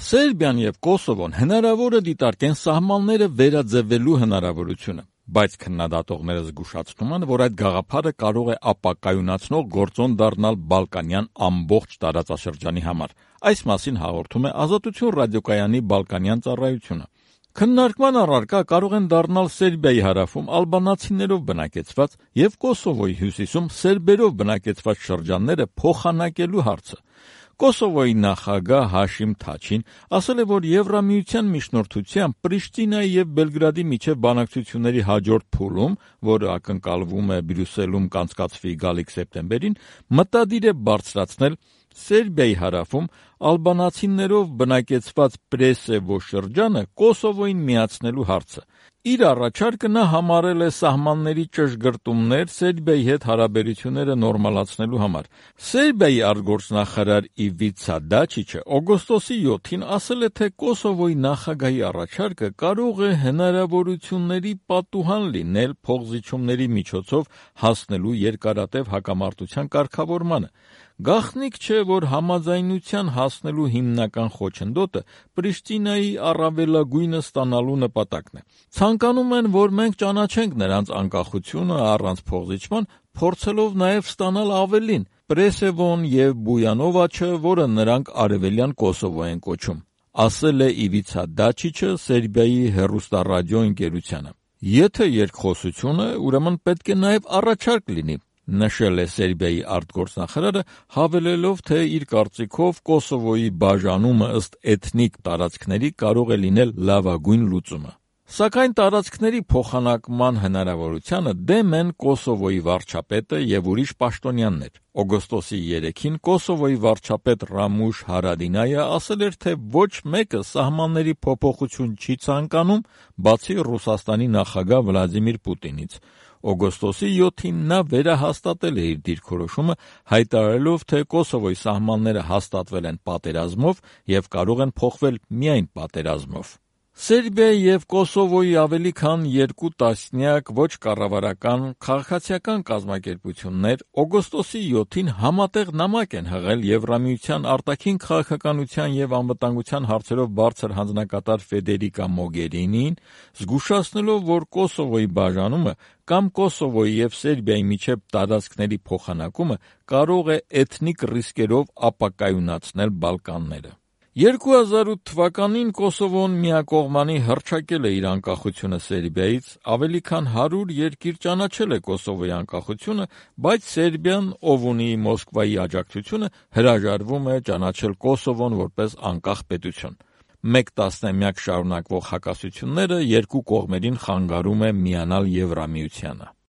Սերբիան եւ Կոսովոն հնարավոր է դիտարկեն սահմանները վերաձևելու հնարավորությունը, բայց քննադատողները զգուշացնում են, որ այդ գաղափարը կարող է ապակայունացնող գործոն դառնալ Բալկանյան ամբողջ տարածաշրջանի համար։ Այս մասին հաղորդում է Ազատություն ռադիոկայանի Բալկանյան ծառայությունը։ Քննարկման առարկա կարող են դառնալ Սերբիայի հարավում ալբանացիներով բնակեցված եւ Կոսովոյի հյուսիսում սերբերով բնակեցված շրջանները փոխանակելու հարցը։ Կոսովոյի նախագահ Հաշիմ Թաչին ասել է, որ Եվրամիության միջնորդությամբ Պրիշտինայի եւ Բելգրադի միջև բանակցությունների հաջորդ փուլում, որը ակնկալվում է Բրյուսելում կանցկացվի գալիք սեպտեմբերին, մտադիր է բարձրացնել Սերբիայի հարավում ալբանացիներով բնակեցված Պրեսեվո շրջանը Կոսովոյին միացնելու հարցը։ Իր առաջարկը նա համարել է սահմանների ճշգրտումներ Սերբիայի հետ հարաբերությունները նորմալացնելու համար։ Սերբիայի արտգործնախարար Իվիցա Դաչիչը օգոստոսի 7-ին ասել է, թե Կոսովոյի նախագահի առաջարկը կարող է հնարավորությունների պատուհան լինել փոխզիջումների միջոցով հասնելու երկարատև հակամարտության կարգավորմանը։ Գաղտնիք չէ, որ համաձայնության հասնելու հիմնական խոչընդոտը Պրիշտինայի առավելագույնը ստանալու նպատակն է։ Ցանկանում են, որ մենք ճանաչենք նրանց անկախությունը առանց փոխզիջման, փորձելով նաև ստանալ ավելին՝ Պրեսևոն եւ Բույանովաչը, որը նրանք Արևելյան Կոսովո են կոչում, ասել է Իվիցա Դաչիչը Սերբիայի հեռուստառադիո ընկերությանը։ Եթե երկխոսություն է, ուրեմն պետք է նաև առաջարկ լինի, նշել է Սերբիայի արտգործնախարարը, հավելելով, թե իր կարծիքով Կոսովոյի բաժանումը ըստ էթնիկ տարածքների կարող է լինել լավագույն լուծումը։ Սակայն տարածքների փոխանակման հնարավորությանը դեմ են Կոսովոյի վարչապետը եւ ուրիշ պաշտոնյաներ։ Օգոստոսի 3-ին Կոսովոյի վարչապետ Ռամուշ Հարադինայը ասել էր, թե ոչ մեկը սահմանների փոփոխություն չի ցանկանում, բացի Ռուսաստանի նախագահ Վլադիմիր Պուտինից։ Օգոստոսի 7-ին նա վերահաստատել է իր դիրքորոշումը, հայտարարելով, թե Կոսովոյի սահմանները հաստատվել են պատերազմով եւ կարող են փոխվել միայն պատերազմով։ Սերբիայի եւ Կոսովոյի ավելի քան 2 տասնյակ ոչ կառավարական քաղաքացիական կազմակերպություններ օգոստոսի 7-ին համատեղ նամակ են հղել Եվրամիության արտաքին քաղաքականության եւ անվտանգության հարցերով բարձր հանձնակատար Ֆեդերիկա Մոգերինիին, զգուշացնելով, որ Կոսովոյի բաժանումը կամ Կոսովոյի եւ Սերբիայի միջև տարածքների փոխանակումը կարող է էթնիկ ռիսկերով ապակայունացնել Բալկանները։ 2008 թվականին Կոսովոն միակողմանի հռչակել է իր անկախությունը Սերբիայից, ավելի քան 100 երկիր ճանաչել է Կոսովոյի անկախությունը, բայց Սերբիան, ով ունի Մոսկվայի աջակցությունը, հրաժարվում է ճանաչել Կոսովոն որպես անկախ պետություն։ Մեկ տասնամյակ շարունակվող հակասությունները երկու կողմերին խանգարում է միանալ Եվրամիությանը։